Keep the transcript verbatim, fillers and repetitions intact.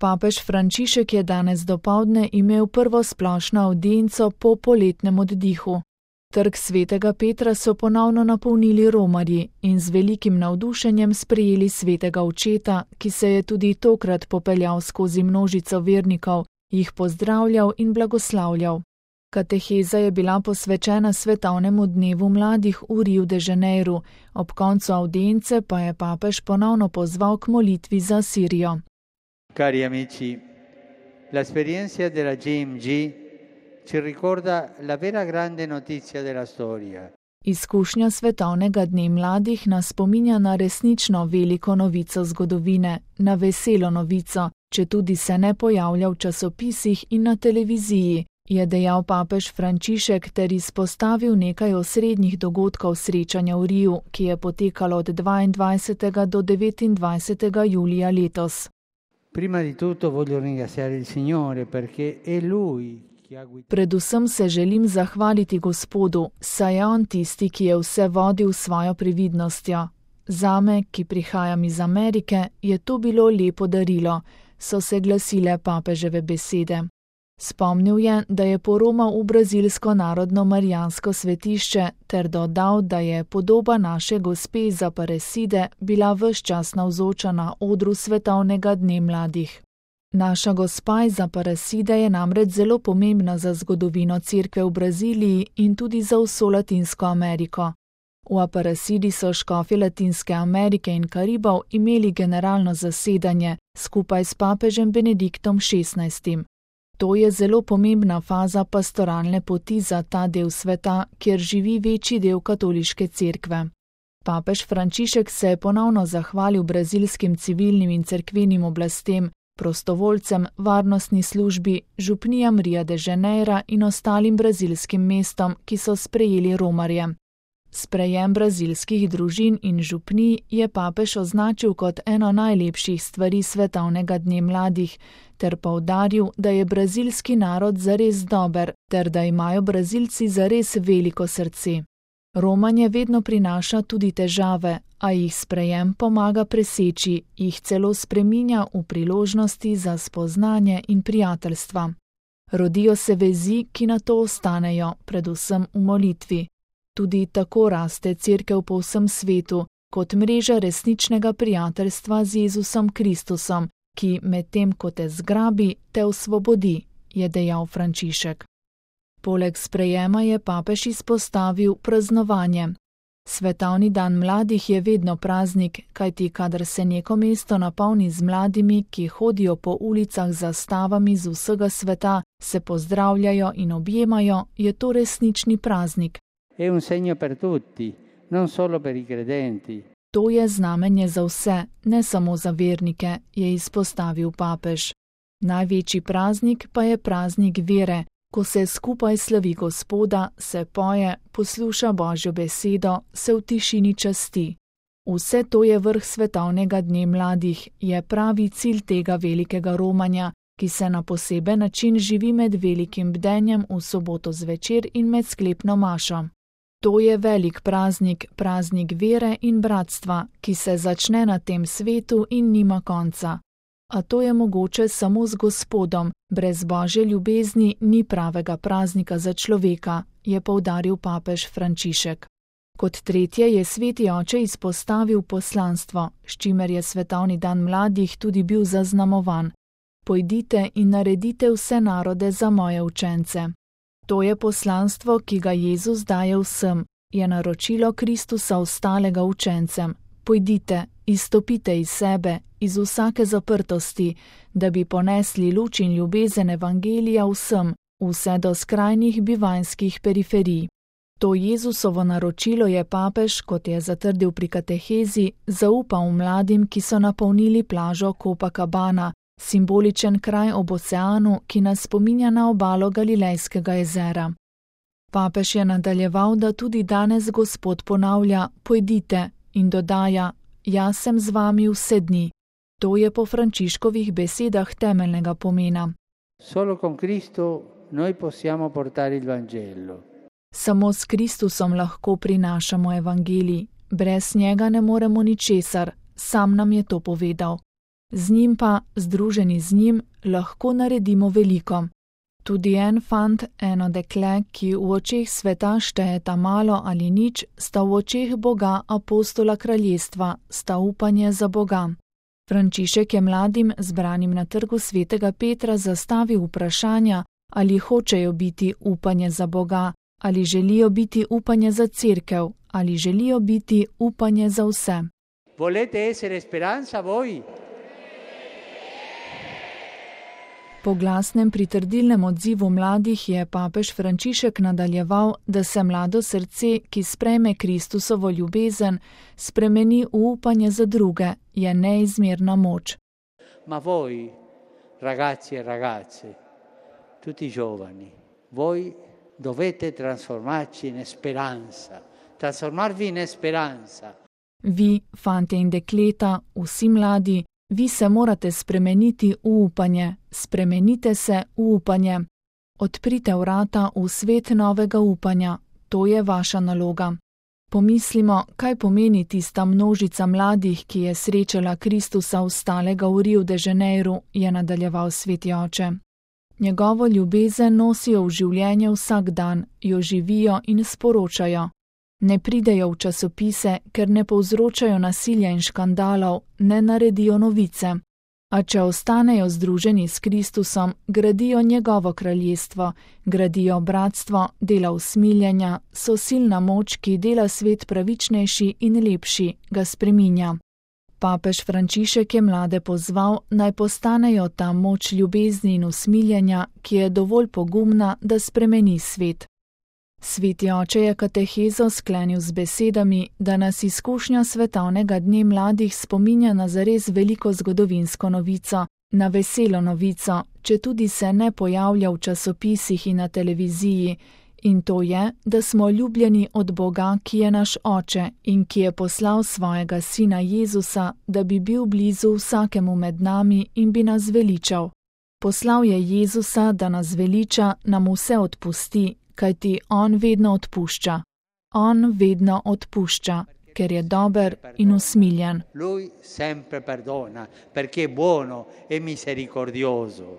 Papež Frančišek je danes dopoldne imel prvo splošno avdienco po poletnem oddihu. Trg svetega Petra so ponovno napolnili romarji in z velikim navdušenjem sprejeli svetega očeta, ki se je tudi tokrat popeljal skozi množico vernikov, jih pozdravljal in blagoslavljal. Kateheza je bila posvečena svetovnemu dnevu mladih v Riu de Janeiru, ob koncu avdience pa je papež ponovno pozval k molitvi za Sirijo. Cari amici, l'esperienza della G M G ci ricorda la vera grande notizia della storia. Izkušnja svetovnega dne mladih nas spominja na resnično veliko novico zgodovine, na veselo novico, četudi se ne pojavlja v časopisih in na televiziji, je dejal papež Frančišek ter izpostavil nekaj osrednjih dogodkov srečanja v Riu, ki je potekalo od dvaindvajsetega do devetindvajsetega julija letos. Prima di tutto voglio ringraziare il Signore perché è Lui che ha guidato. Predvsem se želim zahvaliti Gospodu, saj je On tisti, ki je vse vodil s svojo previdnostjo. Zame, ki prihajam iz Amerike, je to bilo lepo darilo, so se glasile papeževe besede. Spomnil je, da je poromal v brazilsko narodno marijansko svetišče ter dodal, da je podoba naše gospe iz Aparecide bila ves čas navzoča na odru svetovnega dne mladih. Naša gospa iz Aparecide je namreč zelo pomembna za zgodovino cerkve v Braziliji in tudi za vso Latinsko Ameriko. V Aparecidi so škofi Latinske Amerike in Karibov imeli generalno zasedanje skupaj s papežem Benediktom šestnajstim. To je zelo pomembna faza pastoralne poti za ta del sveta, kjer živi večji del katoliške cerkve. Papež Frančišek se je ponovno zahvalil brazilskim civilnim in cerkvenim oblastem, prostovoljcem, varnostni službi, župnijam Ria de Janeira in ostalim brazilskim mestom, ki so sprejeli romarje. Sprejem brazilskih družin in župnij je papež označil kot eno najlepših stvari svetovnega dne mladih, ter poudaril, da je brazilski narod zares dober, ter da imajo Brazilci zares veliko srce. Romanje vedno prinaša tudi težave, a jih sprejem pomaga preseči, jih celo spreminja v priložnosti za spoznanje in prijateljstva. Rodijo se vezi, ki na to ostanejo, predvsem v molitvi. Tudi tako raste cerkev po vsem svetu, kot mreža resničnega prijateljstva z Jezusom Kristusom, ki medtem ko te zgrabi, te osvobodi, je dejal Frančišek. Poleg sprejema je papež izpostavil praznovanje. Svetovni dan mladih je vedno praznik, kajti kadar se neko mesto napolni z mladimi, ki hodijo po ulicah z zastavami z vsega sveta, se pozdravljajo in objemajo, je to resnični praznik. È un segno per tutti, non solo per i credenti. To je znamenje za vse, ne samo za vernike, je izpostavil papež. Največji praznik pa je praznik vere, ko se skupaj slavi Gospoda, se poje, posluša Božjo besedo, se v tišini časti. Vse to je vrh svetovnega dne mladih, je pravi cilj tega velikega romanja, ki se na poseben način živi med velikim bdenjem v soboto zvečer in med sklepno mašo. To je velik praznik, praznik vere in bratstva, ki se začne na tem svetu in nima konca. A to je mogoče samo z Gospodom, brez Božje ljubezni ni pravega praznika za človeka, je poudaril papež Frančišek. Kot tretje je sveti oče izpostavil poslanstvo, s čimer je svetovni dan mladih tudi bil zaznamovan. Pojdite in naredite vse narode za moje učence. To je poslanstvo, ki ga Jezus daje vsem, je naročilo Kristusa ostalega učencem. Pojdite, izstopite iz sebe, iz vsake zaprtosti, da bi ponesli luč in ljubezen evangelija vsem, vse do skrajnih bivanjskih periferij. To Jezusovo naročilo je papež, kot je zatrdil pri katehezi, zaupal mladim, ki so napolnili plažo Copacabana, simboličen kraj ob oceanu, ki nas spominja na obalo Galilejskega jezera. Papež je nadaljeval, da tudi danes Gospod ponavlja: pojdite, in dodaja: jaz sem z vami vse dni. To je po Frančiškovih besedah temeljnega pomena. Solo con Cristo noi possiamo portare il Vangelo. Samo s Kristusom lahko prinašamo evangelij, brez njega ne moremo ničesar, sam nam je to povedal. Z njim pa, združeni z njim, lahko naredimo veliko. Tudi en fant, eno dekle, ki v očeh sveta štejeta malo ali nič, sta v očeh Boga apostola kraljestva, sta upanje za Boga. Frančišek je mladim, zbranim na trgu svetega Petra, zastavil vprašanja, ali hočejo biti upanje za Boga, ali želijo biti upanje za cerkev, ali želijo biti upanje za vse. Volete essere speranza voi? Po glasnem pritrdilnem odzivu mladih je papež Frančišek nadaljeval, da se mlado srce, ki sprejme Kristusovo ljubezen, spremeni v upanje za druge, je neizmerna moč. Ma voi, ragazzi e ragazze, tutti giovani, voi dovete trasformarci in speranza, trasformarvi in speranza. Vi, fantje in dekleta, vsi mladi, vi se morate spremeniti v upanje, spremenite se v upanje. Odprite vrata v svet novega upanja, to je vaša naloga. Pomislimo, kaj pomeni tista množica mladih, ki je srečala Kristusa vstalega v Rio de Janeiro, je nadaljeval sveti oče. Njegovo ljubezen nosijo v življenje vsak dan, jo živijo in sporočajo. Ne pridejo v časopise, ker ne povzročajo nasilja in škandalov, ne naredijo novice. A če ostanejo združeni s Kristusom, gradijo njegovo kraljestvo, gradijo bratstvo, dela usmiljenja, so silna moč, ki dela svet pravičnejši in lepši, ga spreminja. Papež Frančišek je mlade pozval, naj postanejo ta moč ljubezni in usmiljenja, ki je dovolj pogumna, da spremeni svet. Sveti oče je katehezo sklenil z besedami, da nas izkušnja svetovnega dne mladih spominja na zares veliko zgodovinsko novico, na veselo novico, če tudi se ne pojavlja v časopisih in na televiziji, in to je, da smo ljubljeni od Boga, ki je naš oče in ki je poslal svojega sina Jezusa, da bi bil blizu vsakemu med nami in bi nas veličal. Poslal je Jezusa, da nas veliča, nam vse odpusti, kajti on vedno odpušča. On vedno odpušča, ker je dober in usmiljen. Lui sempre perdona, perché è buono e misericordioso.